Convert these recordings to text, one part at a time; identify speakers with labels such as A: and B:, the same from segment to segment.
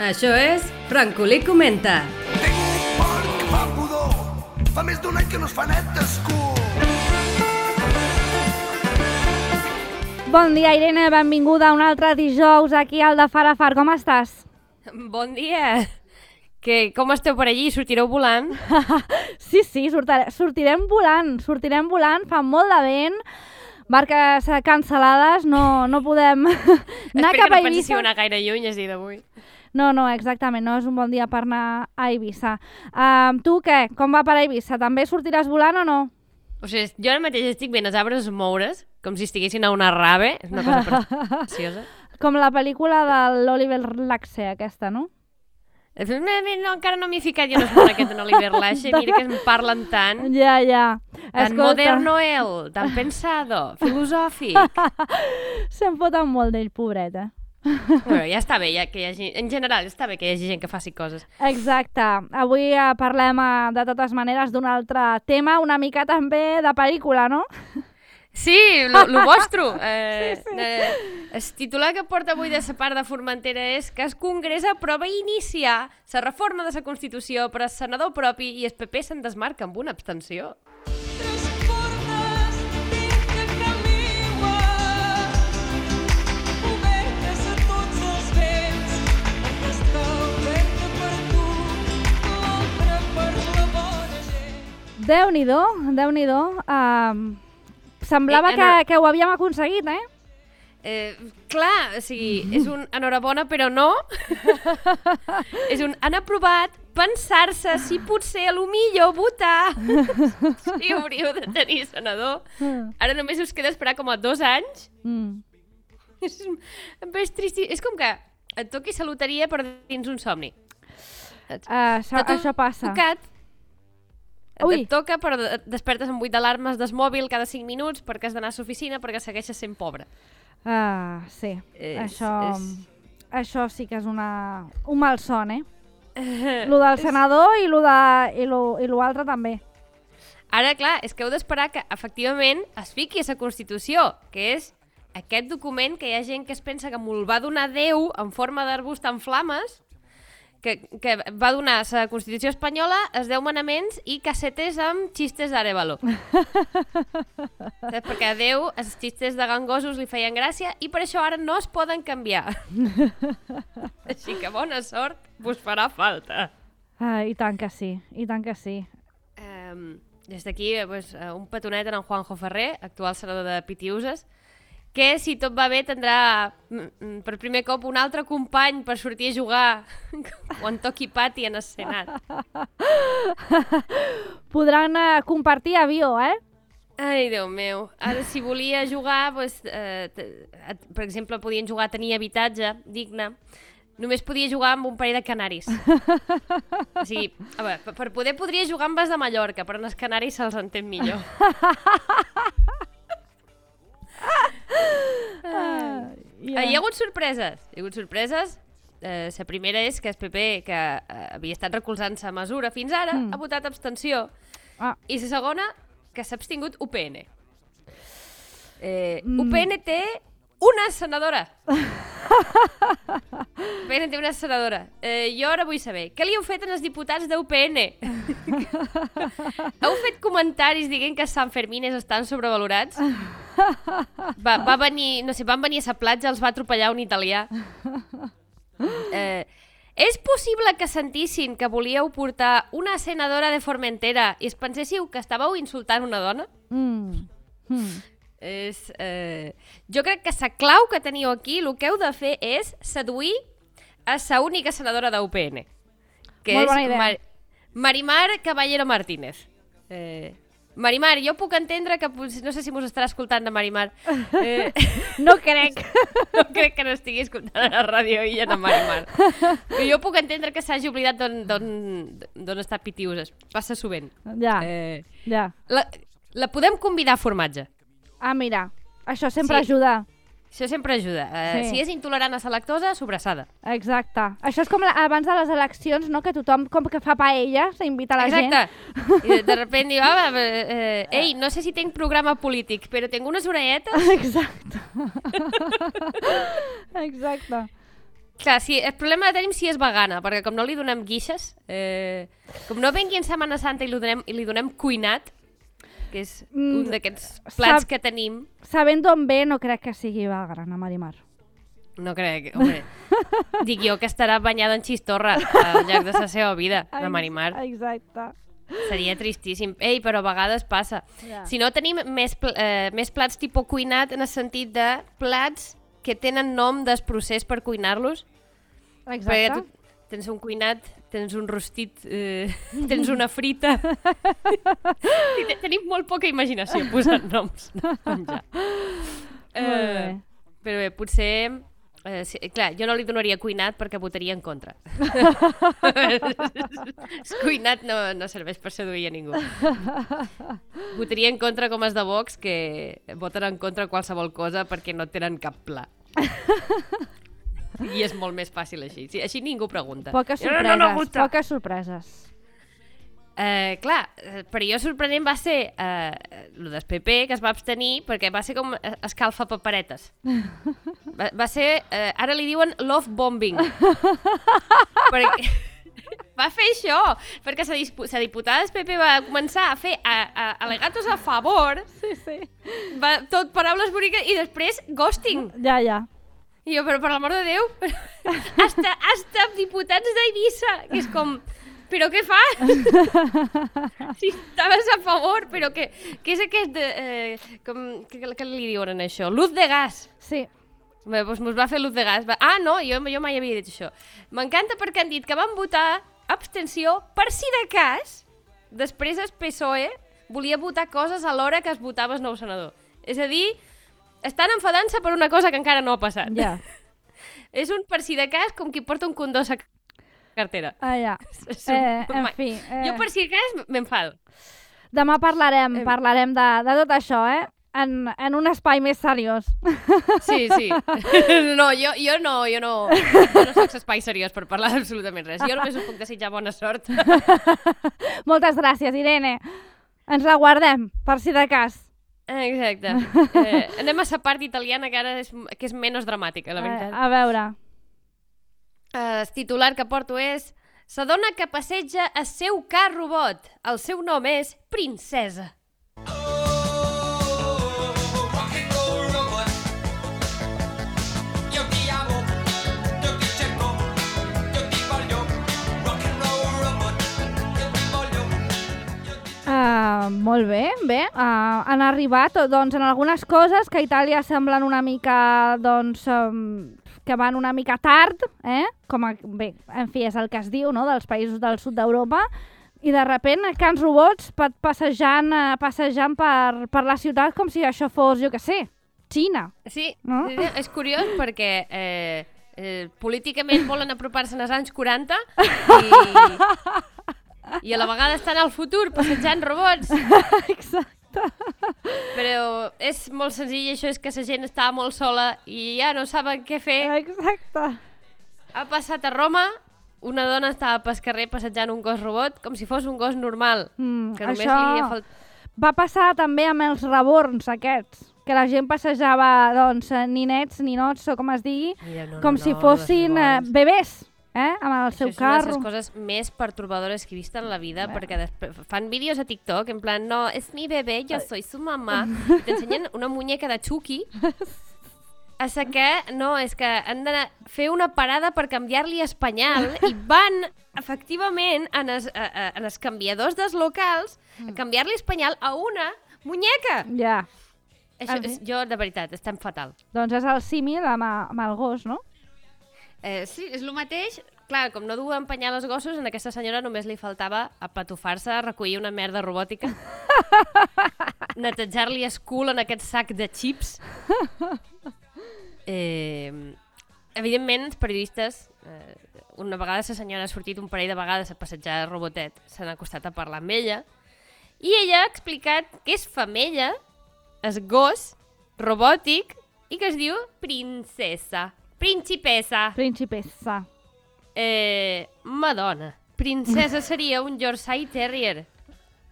A: Això és Francolí Comenta.
B: Tinc por que fa pudor. Fa més d'un any que no es fa net d'escut.
C: Bon dia, Irene, benvinguda un altre dijous aquí al de Far a Far. Com estàs?
D: Bon dia. Com esteu per allí? Sortireu volant?
C: Sí, sortirem volant, fa molt de vent, barques cancel·lades, no podem anar cap a Eivissa.
D: Espero que no pensis anar gaire lluny, és dir, d'avui.
C: No, exactament, no és un bon dia per anar a Eivissa. Tu què? Com va per Eivissa? També sortiràs volant o no?
D: O sigui, jo ara mateix estic veient els arbres moure's, com si estiguessin a una rave, és una cosa preciosa.
C: Com la pel·lícula de l'Oliver Laxe, aquesta, no?
D: No, encara no m'hi he ficat, jo no sé aquest en Oliver Laxe, mira que em parlen tant.
C: Ja.
D: Tan moderno él, tan pensado, filosòfic.
C: Se'n foten molt d'ell, pobret,
D: Bueno, ja està bé, que hi hagi, en general, està bé que hi hagi gent que faci coses.
C: Exacte. Avui parlem, de totes maneres, d'un altre tema, una mica també de pel·lícula, no?
D: Sí, lo vostre.
C: Sí.
D: El titular que porta avui de la part de Formentera és que el Congrés aprova iniciar la reforma de la Constitució per al senador propi i el PP se'n desmarca amb una abstenció.
C: Déu-n'hi-do. Semblava que ho havíem aconseguit,
D: Clar, o sigui, és un enhorabona, però no. És un han aprovat pensar-se si potser a lo millor votar. Sí, hauríeu de tenir senador. Ara només us queda esperar com a 2 anys. És trist. És com que et toquis la loteria per dins un somni.
C: Això passa.
D: Et toca, però despertes amb 8 alarmes del mòbil cada 5 minuts perquè has d'anar a l'oficina perquè segueixes sent pobre.
C: Sí. Això sí que és un malson, Lo del senador i lo altre també.
D: Ara, clar, és que heu d'esperar que efectivament es fiqui a la Constitució, que és aquest document que hi ha gent que es pensa que me'l va donar Déu en forma d'arbust en flames, que va donar la Constitució espanyola, els 10 manaments i cassetes amb xistes d'Arevalo. Perquè a Déu els xistes de gangosos li feien gràcia i per això ara no es poden canviar. Així que bona sort, vos farà falta.
C: I tant que sí.
D: Des d'aquí, un petonet en Juanjo Ferrer, actual senador de Pitiuses, que si tot va bé tindrà per primer cop un altre company per sortir a jugar quan toqui pati en el Senat.
C: Podran compartir avió,
D: Ai, Déu meu. Ara, si volia jugar, per exemple, podien jugar a tenir habitatge digne, només podia jugar amb un parell de canaris. O sigui, per poder podria jugar amb els de Mallorca, però en els canaris se'ls entén millor. Hi ha hagut sorpreses. La primera és que el PP, que havia estat recolzant la mesura fins ara, ha votat abstenció. I la segona, que s'ha abstingut UPN. UPN té una senadora. UPN té una senadora. Jo ara vull saber, què li heu fet als diputats d'UPN? Heu fet comentaris dient que Sant Fermines estan sobrevalorats? Va venir, no sé, van venir a la platja, els va atropellar un italià. És possible que sentissin que volíeu portar una senadora de Formentera i es penséssiu que estàveu insultant una dona? Jo crec que la clau que teniu aquí, el que heu de fer és seduir a la única senadora d'UPN, que
C: molt bona idea.
D: Marimar Caballero Martínez. Marimar, jo puc entendre que no sé si mos estarà escoltant de Marimar.
C: No crec.
D: No crec que no estigui escoltant a la ràdio i en Marimar. Però jo puc entendre que s'hagi oblidat d'on està Pitiuses. Passa sovint.
C: Ja.
D: La podem convidar a formatge.
C: Mira, això sempre ajuda.
D: Això sempre ajuda. Si és intolerant a la lactosa, sobrassada.
C: Exacte. Això és com abans de les eleccions, no? Que tothom com que fa paella, s'invita la gent.
D: Exacte. I de repente diu, ei, no sé si tinc programa polític, però tinc unes orelletes.
C: Exacte. Exacte.
D: Clar, sí, el problema el tenim si és vegana, perquè com no li donem guixes, com no vengui en Setmana Santa i li donem cuinat, que és un d'aquests plats que tenim...
C: Sabent d'on ve, no crec que sigui vegana, Marimar.
D: No crec, home. Dic jo que estarà banyada en xistorra al llarg de la seva vida, la Marimar.
C: Exacte.
D: Seria tristíssim. Ei, però a vegades passa.
C: Ja.
D: Si no, tenim més plats tipus cuinat en el sentit de plats que tenen nom del procés per cuinar-los.
C: Exacte.
D: Perquè tu tens un cuinat, tens un rostit, tens una frita. Tenim molt poca imaginació posant noms de menjar.
C: Molt bé.
D: Però bé, potser... sí, clar, jo no li donaria cuinat perquè votaria en contra. Cuinat no serveix per seduir a ningú. Votaria en contra com els de Vox, que voten en contra qualsevol cosa perquè no tenen cap pla. I és molt més fàcil així. Sí, així ningú pregunta.
C: Poques sorpreses, poques sorpreses.
D: Clar, per jo sorprenent va ser el del PP, que es va abstenir, perquè va ser com escalfa paperetes. Va ser, ara li diuen love bombing. Perquè va fer això, perquè la diputada del PP va començar a fer al·legatos a favor,
C: Sí.
D: tot paraules boniques, i després ghosting.
C: Ja.
D: I jo, però per l'amor de Déu, hasta diputats d'Eivissa, que és com... Però què fas? Si estaves a favor, però què és aquest... Què li diuen en això? Luz de gas.
C: Sí.
D: Bé, doncs mos va fer luz de gas. No, jo mai havia dit això. M'encanta perquè han dit que van votar abstenció per si de cas, després el PSOE volia votar coses a l'hora que es votava el nou senador. És a dir, estan enfadant-se per una cosa que encara no ha passat.
C: Ja.
D: És un per si de cas com qui porta un condó a cartera.
C: Ja. En fi.
D: Jo per si de cas m'enfado.
C: Demà parlarem de tot això, en un espai més seriós.
D: Sí. No, jo no soc espai seriós per parlar absolutament res. Jo només us puc desitjar bona sort.
C: Moltes gràcies, Irene. Ens la guardem, per si de cas.
D: Exacte. Anem a la part italiana, que ara és menys dramàtica, la veritat.
C: A veure.
D: El titular que porto és: la dona que passeja el seu car robot. El seu nom és Princesa.
C: Molt bé. Han arribat doncs, en algunes coses que a Itàlia semblen una mica doncs, que van una mica tard, bé, en fi, és el que es diu, no?, dels països del sud d'Europa, i de repent cans robots passejant per la ciutat com si això fos, jo què sé, Xina.
D: Sí,
C: no?
D: És curiós perquè políticament volen apropar-se als anys 40 i a la vegada estan al futur passejant robots.
C: Exacte.
D: Però és molt senzill, això és que la gent està molt sola i ja no saben què fer.
C: Exacte.
D: Ha passat a Roma, una dona estava pel carrer passejant un gos robot com si fos un gos normal. Que només
C: això va passar també amb els reborns aquests, que la gent passejava doncs, ninets, ninots, o com es digui, com si fossin bebès. Amb el seu carro.
D: És una de les coses més pertorbadores que he vist en la vida, perquè fan vídeos a TikTok en plan, no, és mi bebé, yo soy su mamá, i t'ensenyen una muñeca de Chucky, a que no, és que han de fer una parada per canviar-li espanyol i van, efectivament, en els canviadors dels locals a canviar-li espanyol a una muñeca.
C: Ja.
D: Jo, de veritat, estem fatal.
C: Doncs és el símil amb el gos, no?
D: Sí, és el mateix. Clar, com no duen penyar els gossos, a aquesta senyora només li faltava apatufar-se, recollir una merda robòtica, netejar-li el cul en aquest sac de xips. Evidentment, els periodistes, una vegada la senyora ha sortit un parell de vegades a passejar el robotet, s'han acostat a parlar amb ella, i ella ha explicat que és femella, és gos robòtic, i que es diu Princesa. Principessa. Madonna. Princesa seria un Yorkshire Terrier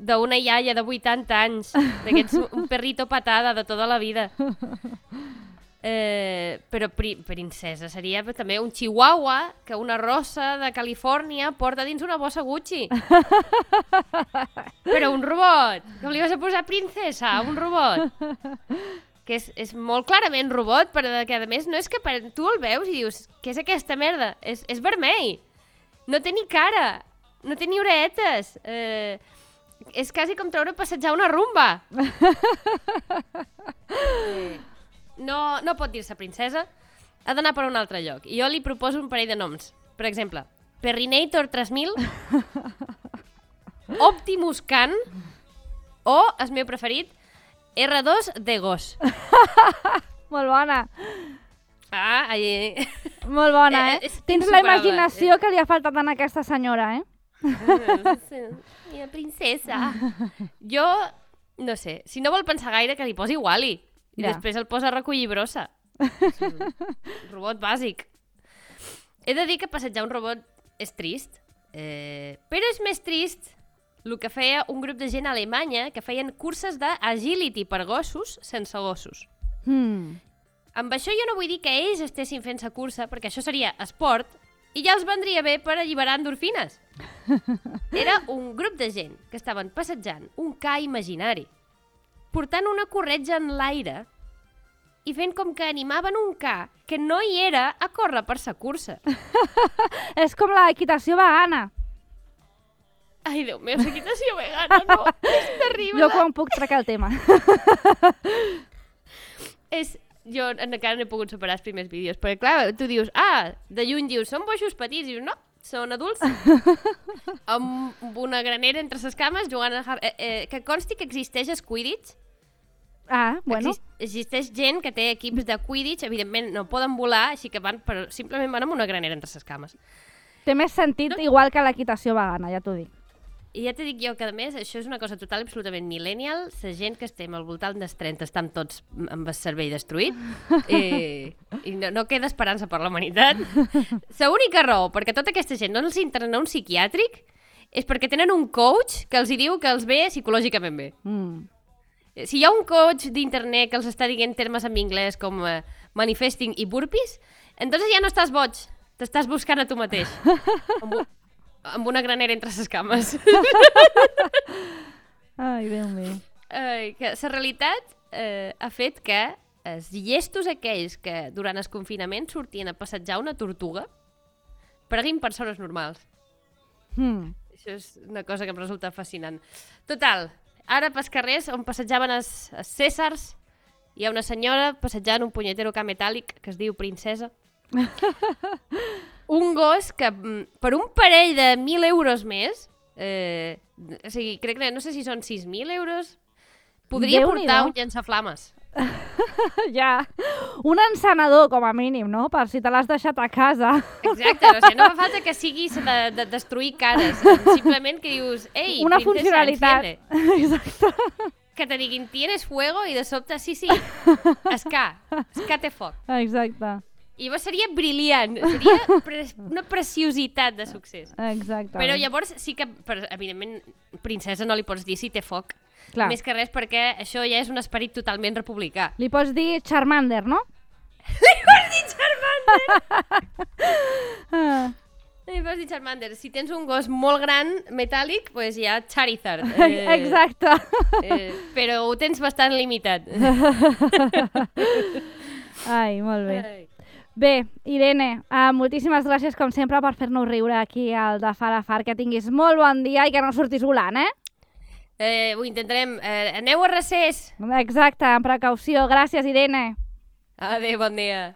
D: d'una iaia de 80 anys, d'aquests un perrito patada de tota la vida. Però princesa seria també un chihuahua que una rossa de Califòrnia porta dins una bossa Gucci. Però un robot. Com li vas a posar princesa a un robot? Que és molt clarament robot, però que a més no és que tu el veus i dius, què és aquesta merda? És vermell. No té ni cara. No té ni oreetes. És quasi com treure a passejar una rumba. No pot dir-se princesa, ha d'anar per un altre lloc. I jo li proposo un parell de noms. Per exemple, Perrinator 3000, Optimus Can o, el meu preferit, R2 de gos.
C: Molt bona. Molt bona, Tens la imaginació que li ha faltat a aquesta senyora,
D: Mira, princesa. Jo, no sé, si no vol pensar gaire, que li posi Wall-E. I després el posa a recollir brossa. És un robot bàsic. He de dir que passejar un robot és trist, però és més trist el que feia un grup de gent a Alemanya que feien curses d'agility per gossos sense gossos. Amb això jo no vull dir que ells estessin fent-se cursa, perquè això seria esport, i ja els vendria bé per alliberar endorfines. Era un grup de gent que estaven passejant un ca imaginari, portant una corretja en l'aire i fent com que animaven un ca que no hi era a córrer per sa cursa.
C: És com l'equitació vegana.
D: Ai, Déu meu, l'equitació vegana, no, és terrible.
C: Jo quan puc trec el tema.
D: Jo encara no he pogut superar els primers vídeos, perquè clar, tu dius, de lluny dius, són boixos petits, i dius, no, són adults, amb una granera entre les cames, jugant a... que consti que existeix el Quidditch.
C: Bueno.
D: Existeix gent que té equips de Quidditch, evidentment no poden volar, així que simplement van amb una granera entre les cames.
C: Té més sentit igual que l'equitació vegana, ja t'ho dic.
D: I ja t'he dit jo que, a més, això és una cosa total absolutament millennial. La gent que estem al voltant dels 30 estan tots amb el cervell destruït i no queda esperança per la humanitat. L'única raó perquè tota aquesta gent no els interna un psiquiàtric és perquè tenen un coach que els hi diu que els ve psicològicament bé. Si hi ha un coach d'internet que els està dient termes en anglès com manifesting i burpees, entonces ja no estàs boig, t'estàs buscant a tu mateix. Amb una granera entre les cames.
C: Ai, Déu meu.
D: La realitat ha fet que els llestos aquells que durant el confinament sortien a passejar una tortuga pareguin persones normals. Això és una cosa que em resulta fascinant. Total, ara pels carrers on passejaven els Cèsars hi ha una senyora passejant un punyetero ca metàl·lic que es diu princesa. Un gos que per un parell de 1.000 euros més, o sigui, crec que no sé si són 6.000 euros, podria portar un llançaflames.
C: Ja, un encenedor com a mínim, no? Per si te l'has deixat a casa.
D: Exacte, o sigui, no fa falta que siguis de destruir cares, simplement que dius, ei,
C: una
D: princesa,
C: funcionalitat.
D: Enciende.
C: Exacte.
D: Que te diguin, tienes fuego, i de sobte, sí, esca té foc.
C: Exacte.
D: I llavors seria brillant, seria una preciositat de succés.
C: Exacte.
D: Però llavors sí que, evidentment, princesa no li pots dir si té foc.
C: Clar.
D: Més que res perquè això ja és un esperit totalment republicà.
C: Li pots dir Charmander, no?
D: Li pots dir Charmander! Li pots dir Charmander. Si tens un gos molt gran, metàl·lic, doncs hi ha Charizard.
C: Exacte.
D: Però ho tens bastant limitat.
C: Ai, molt bé. Bé, Irene, moltíssimes gràcies com sempre per fer-nos riure aquí al de Far a Far, que tinguis molt bon dia i que no surtis volant,
D: Ho intentarem. Aneu a recés!
C: Exacte, amb precaució. Gràcies, Irene.
D: Adéu, bon dia.